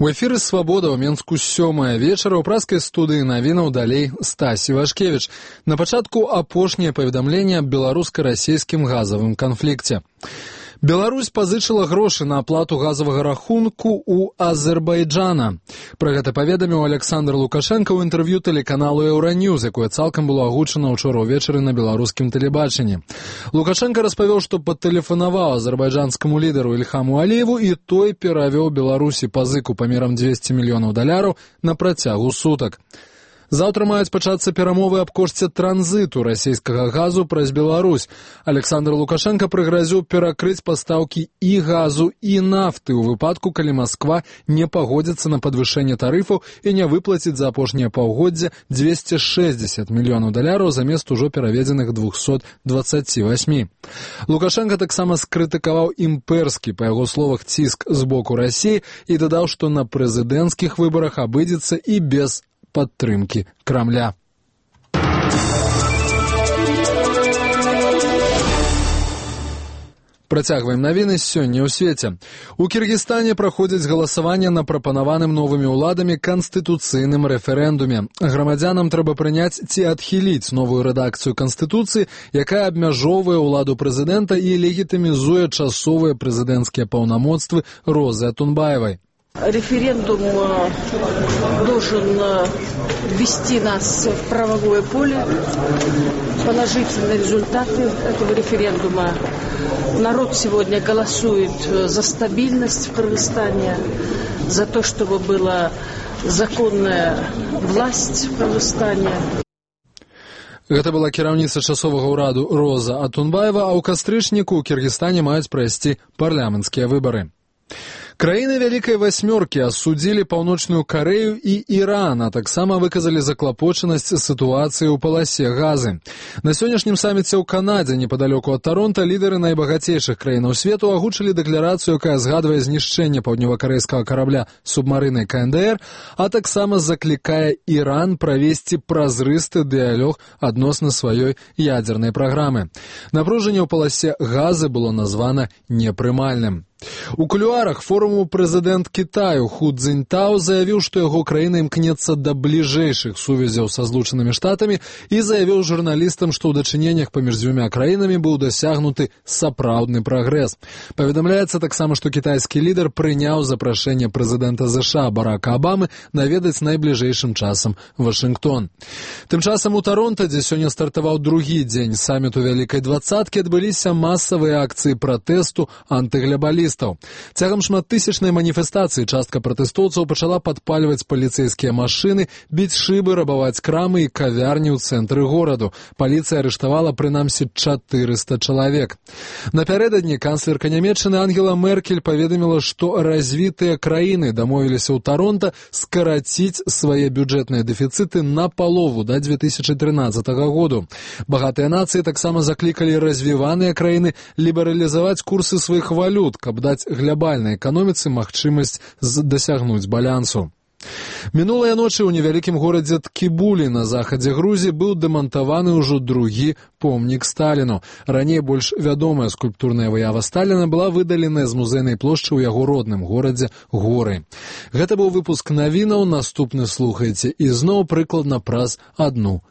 У эфіры «Свабода» ў Менску 7 вечара ў праскай студыі навінаў далей Стасі Вашкевіч. На пачатку апошняе паведамленне аб беларуска-расейскім газавым канфлікце. Беларусь пазычыла грошы на аплату газавага рахунку ў Азербайджана. Пра гэта паведаміў Александр Лукашенко ў інтэрв'ю тэлеканалу «Еўраньюз», якое цалкам было агучана ўчора ўвечары на беларускім тэлебачанні. Лукашенко распавёў, што патэлефанаваў азербайджанскаму лідару Ільхаму Аліеву, і той перавёў Беларусі пазыку памерам $200 мільёнаў на працягу сутак. Заўтра маюць пачацца перамовы аб кошце транзыту расійскага газу праз Беларусь. Александр Лукашенко прыгразіў перакрыць пастаўкі і газу, і нафты ў выпадку, калі Масква не пагодзіцца на падвышэнне тарыфаў і не выплаціць за апошняе паўгоддзе $260 мільёнаў замест ужо пераведзеных 228. Лукашенко таксама скрытыкаваў імпэрскі, па яго словах, ціск з боку Расіі і дадаў, што на прэзідэнцкіх выбарах абыдзецца і без падтрымкі Крамля. Працягваем навіны сёння ў свеце. У Кіргізстане праходзіць галасаванне на прапанаваным новымі ўладамі канстытуцыйным рэферэндуме. Грамадзянам трэба прыняць ці адхіліць новую рэдакцыю канстытуцыі, якая абмяжоўвае ўладу прэзідэнта і легітымізуе часовыя прэзідэнцкія паўнамоцтвы Розы Атунбаевай. Референдум должен ввести нас в правовое поле. Положительные результаты этого референдума. Народ сегодня голосует за стабильность в Кыргызстане, за то, чтобы была законная власть в Кыргызстане. Гэта была кіраўніца часовага ўраду Роза Атунбаева, а ў кастрычніку ў Кіргізстане маюць прайсці парламенцкія выбары. Краіны Вялікай Васьмёркі асудзілі Паўночную Карэю і Іран, а таксама выказалі заклапочанасць сітуацыі ў паласе газы. На сённяшнім саміце ў Канадзе, непадалёку ад Таронта, лідары найбагацейшых краінаў свету агучылі дэкларацыю, якая згадвае знішчэнне паўднёвакарэйскага карабля субмарынай КНДР, а таксама заклікае Іран правесці празрысты дыялог адносна сваёй ядзернай праграмы. Напружанне ў паласе газы было названа непрымальным. У кулуарах форуму прэзідэнт Кітаю Ху Цзіньтао заявіў, што яго краіна імкнецца да бліжэйшых сувязяў са Злучанымі Штатамі і заявіў журналістам, што ў дачыненнях паміж дзвюма краінамі быў дасягнуты сапраўдны прагрэс. Паведамляецца таксама, што кітайскі лідар прыняў запрашэнне прэзідэнта США Барака Абамы наведаць найбліжэйшым часам Вашынгтон. Тым часам у Таронта, дзе сёння стартаваў другі дзень саміту Вялікай Дваццаткі, адбыліся масавыя акцыі пратэсту антыглябалістаў. Цягам шматтысячнай маніфестацыі частка пратэстоўцаў пачала падпальваць паліцэйскія машыны, біць шыбы, рабаваць крамы і кавярні ў цэнтры гораду. Паліцыя арыштавала прынамсі 400 чалавек. Напярэдадні канцлерка Нямецчыны Ангела Меркель паведаміла, што развітыя краіны дамовіліся ў Таронта скараціць свае бюджэтныя дэфіцыты напалову да 2013 году. Багатыя нацыі таксама заклікалі развіваныя краіны лібералізаваць курсы сваіх валют, каб даць глябальнай эканоміцы магчымасць дасягнуць балансу. Мінулыя ночы ў невялікім горадзе Ткібулі на захадзе Грузіі быў дэмантаваны ўжо другі помнік Сталіну. Раней больш вядомая скульптурная выява Сталіна была выдаленая з музейнай плошчы ў яго родным горадзе Горы. Гэта быў выпуск навінаў, наступны слухайце ізноў прыкладна праз 1